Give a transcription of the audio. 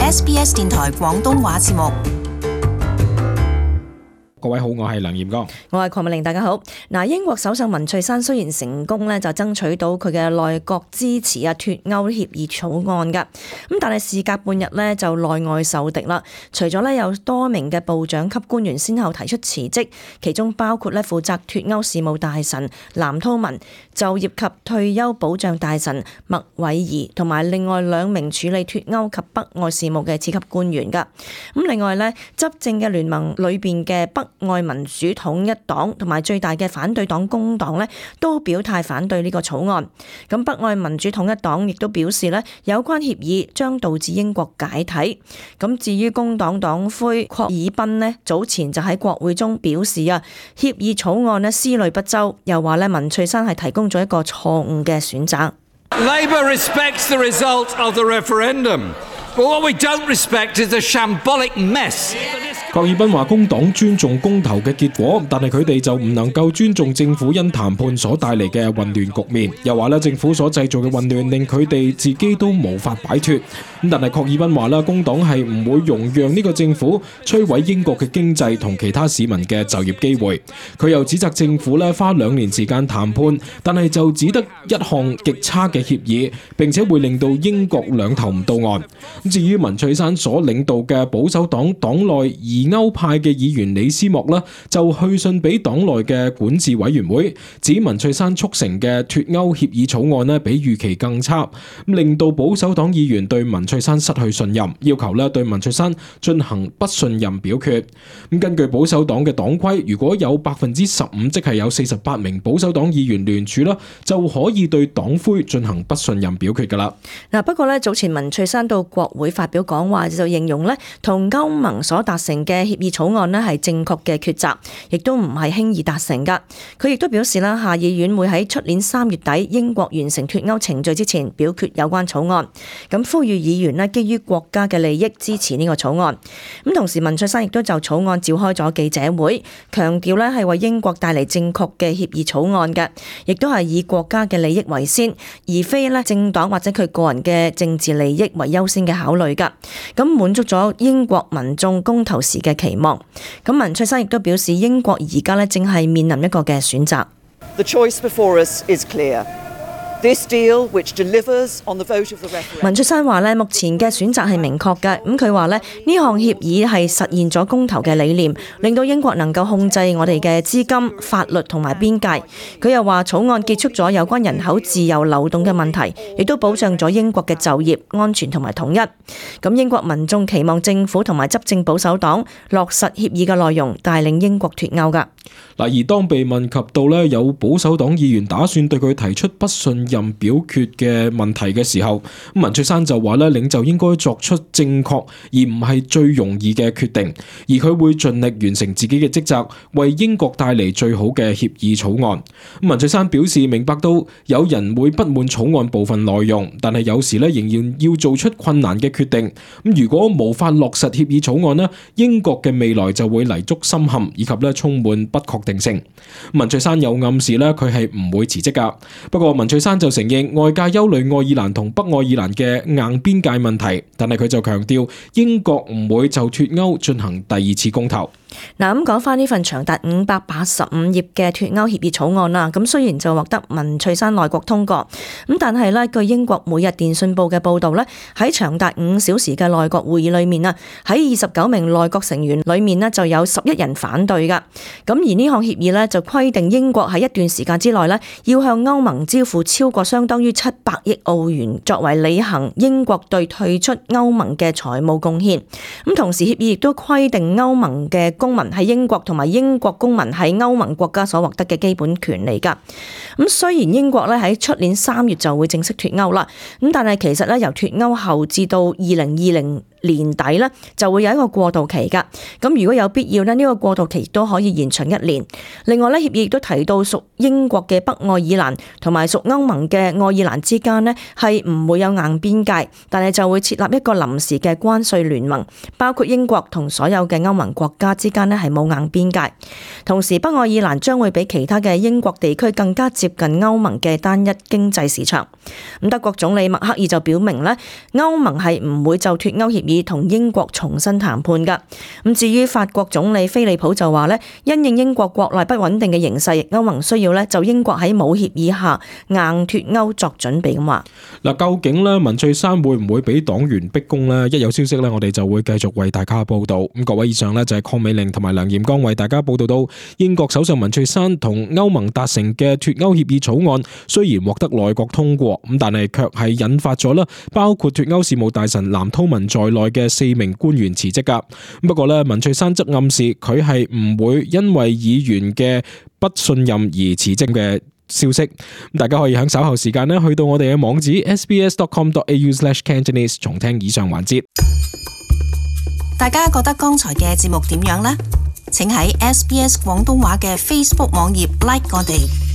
SBS 電台廣東話節目。各位好，我係梁彥剛，我係鄺美玲，大家好。英國首相文翠珊雖然成功咧就爭取到佢嘅內閣支持脫歐協議草案噶，但係事隔半日咧就內外受敵啦。除咗咧有多名嘅部長級官員先後提出辭職，其中包括咧負責脫歐事務大臣藍韜文、就業及退休保障大臣麥偉儀同埋另外2名處理脫歐及北愛事務嘅次級官員噶。另外咧執政嘅聯盟裏邊嘅北愛民主統一黨同埋最大嘅反對黨工黨咧，都表態反對呢個草案。咁北愛民主統一黨亦都表示咧，有關協議將導致英國解體。咁至於工黨黨魁郝爾賓咧，早前就喺國會中表示協議草案咧思慮不周，又話咧文翠珊係提供咗一個錯誤嘅選擇。Labour respects the result of the referendum, but what we don't respect is a shambolic mess. 郝爾賓話工黨尊重公投嘅結果，但係佢哋就唔能夠尊重政府因談判所帶嚟嘅混亂局面。又話咧政府所製造嘅混亂令佢哋自己都無法擺脫。但係郝爾賓話啦，工黨係唔會容讓呢個政府摧毀英國嘅經濟同其他市民嘅就業機會。佢又指責政府咧花2年時間談判，但係就只得一項極差嘅協議，並且會令到英國兩頭唔到岸。至於文翠珊所領導嘅保守黨黨內疑歐派嘅議員李斯莫啦，就去信俾黨內嘅管治委員會，指文翠珊促成嘅脫歐協議草案咧比預期更差，令到保守黨議員對文翠珊失去信任，要求咧對文翠珊進行不信任表決。根據保守黨嘅黨規，如果有15%，即係有48名保守黨議員聯署啦，就可以對黨魁進行不信任表決噶啦。不過咧早前文翠珊到國會發表講話，就形容咧同歐盟所達成嘅協議草案咧係正確嘅抉擇，亦都唔係輕易達成噶。佢亦都表示啦，下議院會喺出年3月底英國完成脫歐程序之前表決有關草案。咁呼籲議員咧基於國家嘅利益支持呢個草案。咁同時文翠珊亦都就草案召開咗記者會，強調咧係為英國帶嚟正確嘅協議草案嘅，亦都係以國家嘅利益為先，而非咧政黨或者佢個人嘅政治利益為優先嘅考慮噶。咁滿足咗英國民眾公投時嘅期望。咁文翠珊亦都表示，英國而家咧正係面臨一個嘅選擇。The choice before us is clear. This deal, which delivers on the vote of the referendum. 文翠珊話咧，目前嘅選擇係明確嘅。咁佢話咧，呢項協議係實現咗公投嘅理念，令到英國能夠控制我哋嘅資金、法律同埋邊界。佢又話草案結束咗有關人口自由流動嘅問題，亦都保障咗英國嘅就業、安全同埋統一。咁英國民眾期望政府同埋執政保守黨落實協議嘅內容，帶領英國脫歐㗎。而當被問及到咧有保守黨議員打算對佢提出不信任表決嘅問題嘅時候，文翠珊就話咧領袖應該作出正確而唔係最容易嘅決定，而佢會盡力完成自己嘅職責，為英國帶嚟最好嘅協議草案。文翠珊表示明白到有人會不滿草案部分內容，但係有時咧仍然要做出困難嘅決定。如果無法落實協議草案咧，英國嘅未來就會泥足深陷，以及咧充滿不確定性。文翠珊有暗示咧佢係唔會辭職噶，不過文翠珊就承認外界憂慮愛爾蘭同北愛爾蘭嘅硬邊界問題，但係佢就強調英國唔會就脫歐進行第2次公投。咁講翻呢份長達585頁嘅脫歐協議草案啦，咁雖然就獲得文翠珊內閣通過，咁但係咧據英國每日電訊報嘅報導咧，喺長達5小時嘅內閣會議裏面啊，喺29名內閣成員裏面咧就有11人反對噶。咁而呢項協議咧就規定英國喺一段時間之內咧要向歐盟支付超過相當於700億澳元，作為履行英國對退出歐盟嘅財務貢獻。咁同時協議亦都規定歐盟嘅公民喺英國同埋英國公民喺歐盟國家所獲得嘅基本權利㗎。咁雖然英國咧喺出年3月就會正式脫歐啦，咁但係其實咧由脫歐後至到2020年底咧就會有一個過渡期㗎。咁如果有必要咧，呢個過渡期都可以延長1年。另外咧，協議亦都提到屬英國嘅北愛爾蘭同埋屬歐盟嘅愛爾蘭之間咧係唔會有硬邊界，但係就會設立一個臨時嘅關稅聯盟，包括英國同所有嘅歐盟國家之間咧係冇硬邊界。同時，北愛爾蘭將會比其他嘅英國地區更加接近歐盟嘅單一經濟市場。咁德國總理默克爾就表明咧，歐盟係唔會就脫歐協議議同英國重新談判㗎。咁至於法國總理菲利普就話咧，因應英國國內不穩定嘅形勢，歐盟需要咧就英國喺冇協議下硬脱歐作準備咁話。嗱，究竟咧文翠珊會唔會俾黨員逼宮呢？一有消息咧，我哋就會繼續為大家報道。咁各位，以上咧就係鄺美玲同埋梁炎剛為大家報道到英國首相文翠珊同歐盟達成嘅脱歐協議草案，雖然獲得內閣通過，咁但係卻係引發咗啦，包括脱歐事務大臣藍韜文在內嘅4名官員辭職噶。不過咧，文翠珊則暗示佢係唔會因為議員嘅不信任而辭職嘅消息。大家可以喺稍後時間咧去到我哋嘅網址 sbs.com.au/Cantonese 重聽以上環節。大家覺得剛才嘅節目點樣呢？請喺 SBS 廣東話嘅 Facebook 網頁 like 我哋。